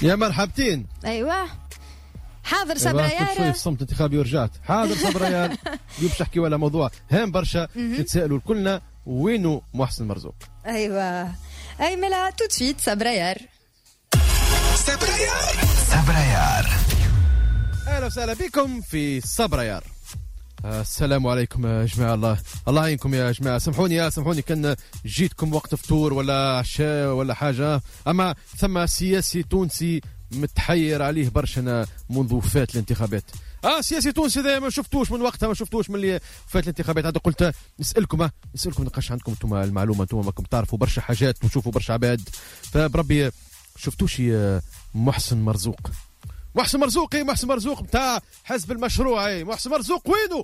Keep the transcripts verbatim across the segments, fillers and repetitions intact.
يا مرحبتين. ايوه حاضر صبريار. شوي في صمت انتخابي ورجعت. حاضر صبريار. اليوم باش نحكيو على موضوع هام برشا، نتسائلوا كلنا وينو محسن مرزوق. ايوه اي ملا tout de suite صبريار. صبريار صبريار. اهلا وسهلا بكم في صبريار. السلام عليكم يا جماعة، الله الله يعينكم يا جماعة. سامحوني يا سامحوني كان جيتكم وقت فطور ولا عشاء ولا حاجة، أما ثم سياسي تونسي متحير عليه برشا منذ فات الانتخابات. اه سياسي تونسي ذا ما شفتوش من وقتها، ما شفتوش من اللي فات الانتخابات. هذا قلت نسألكم نسألكم نقاش عندكم انتم المعلومة، انتم ماكم تعرفوا برشا حاجات وتشوفوا برشا عباد، فبربي شفتوش محسن مرزوق؟ محسن مرزوق، اي محسن مرزوق نتاع حزب المشروع. اي محسن مرزوق وينه؟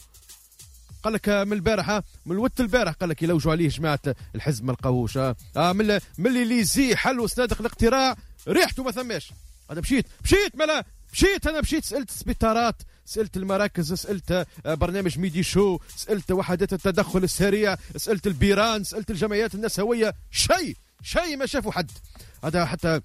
قال لك من البارحة، من الوقت البارح قال لك يلوجوا عليه جماعة الحزب ما لقاوهوش. اه من من اللي ليزي حلوا صناديق الاقتراع ريحته ما ثماش. انا مشيت مشيت ملا مشيت انا مشيت سالت السبيطارات، سالت المراكز، سالت برنامج ميدي شو، سالت وحدات التدخل السريع، سالت البيران، سالت الجمعيات النسوية، شيء شيء ما شافوا حد. هذا حتى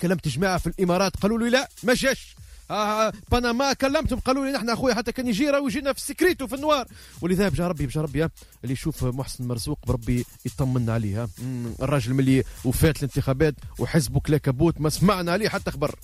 كلمت جماعة في الامارات قالوا لي لا ما جاش. آه بنما كلمتهم قالوا لي نحن اخويا حتى كان يجي راه يجينا في ال sécurité في ال noir. ولذا بجا ربي بجا ربي اللي يشوف محسن مرزوق بربي يطمنا عليه. الراجل ملي وفات الانتخابات وحزبه كلا كبوت ما سمعنا عليه حتى خبر.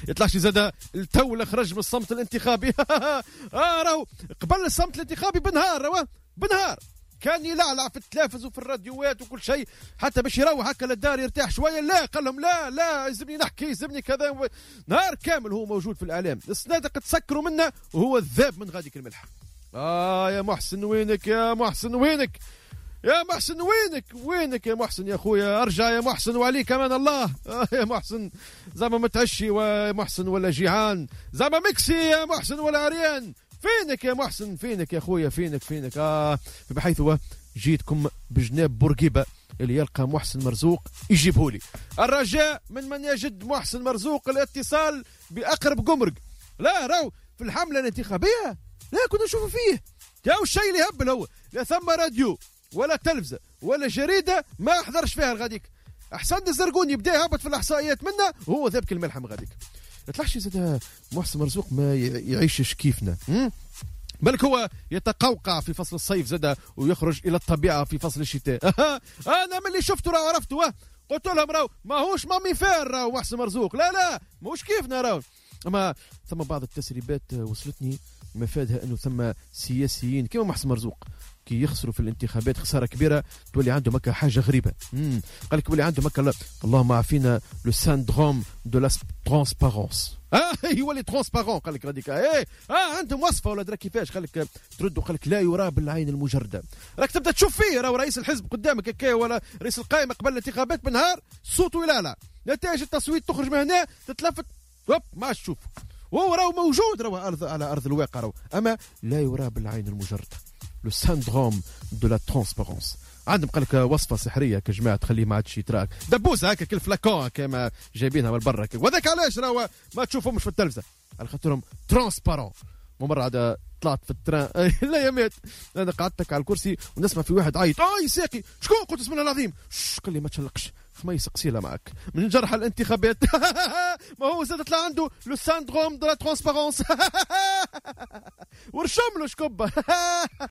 يطلعش زاد التو خرج من الصمت الانتخابي. اه راهو قبل الصمت الانتخابي بنهار، راهو بنهار كان يلعلع في التلافز وفي الراديوات وكل شيء حتى باش يروح هكا للدار يرتاح شوية. لا قال لهم لا لا يلزمني نحكي يلزمني كذا. نهار كامل هو موجود في الاعلام، الصناديق تسكروا منه وهو الذاب من غاديك الملح. اه يا محسن وينك يا محسن وينك يا محسن وينك وينك يا محسن يا خويا، ارجع يا محسن وعليك امان الله. آه يا محسن زعما متعشي ويا محسن ولا جيعان، زعما مكسي يا محسن ولا عريان، فينك يا محسن فينك يا خويا فينك فينك. آه بحيث هو جيتكم بجناب بورقيبة اللي يلقى محسن مرزوق يجيبهولي. الرجاء من من يجد محسن مرزوق الاتصال بأقرب قمرق. لا راو في الحملة الانتخابية لا كنا نشوفوا فيه يا الشيء اللي هبل هو، لا ثم راديو ولا تلفزة ولا جريدة ما حضرش فيها الغاديك. أحسن الزرقون يبدا يهبط في الإحصائيات منا وهو ذابك الملحم غاديك. يطلعش زاد محسن مرزوق ما يعيشش كيفنا، بالك هو يتقوقع في فصل الصيف زاد ويخرج الى الطبيعة في فصل الشتاء. انا من اللي شفته راه عرفته، قلت لهم راهو ماهوش mammifère راهو محسن مرزوق، لا لا ماهوش كيفنا راهو. اما ثم بعض التسريبات وصلتني مفادها انه ثم سياسيين كيما محسن مرزوق كي يخسروا في الانتخابات خسارة كبيرة تولي عندهم هكا حاجة غريبة. امم قال لك يولي عندهم هكا اللهم عافينا le syndrome de la transparence. اه يولي transparent قال لك غاديك. ايه اه عندهم وصفه ولا درا كيفاش قال لك تردوا قال لك لا يرى بالعين المجردة. راك تبدا تشوف فيه راهو رئيس الحزب قدامك هكا ولا رئيس القائمة قبل الانتخابات بنهار صوته لا لا نتائج التصويت تخرج من هنا تتلفت هوب ما عادش تشوف، وهو راهو موجود راهو أرض على ارض الواقع راهو، اما لا يرى بالعين المجردة le syndrome de la transparence. عندهم قال لك وصفه سحريه كجماعة تخليه ما عادش يتراك دبوسه هكا كل flacon كما جايبينها من برا، وذاك علاش راهو ما تشوفهمش في التلفزة على خاطرهم transparents. ومرة عاد طلعت في ال train لا يا مات انا قعدتك على الكرسي ونسمع في واحد عيط اي ساقي شكون، قلت اسم الله العظيم، قال لي ما تشلقش خميس قصيله معك من جرح الانتخابات. ما هو زاد طلع عنده le syndrome de la transparence ورشم له شكبه.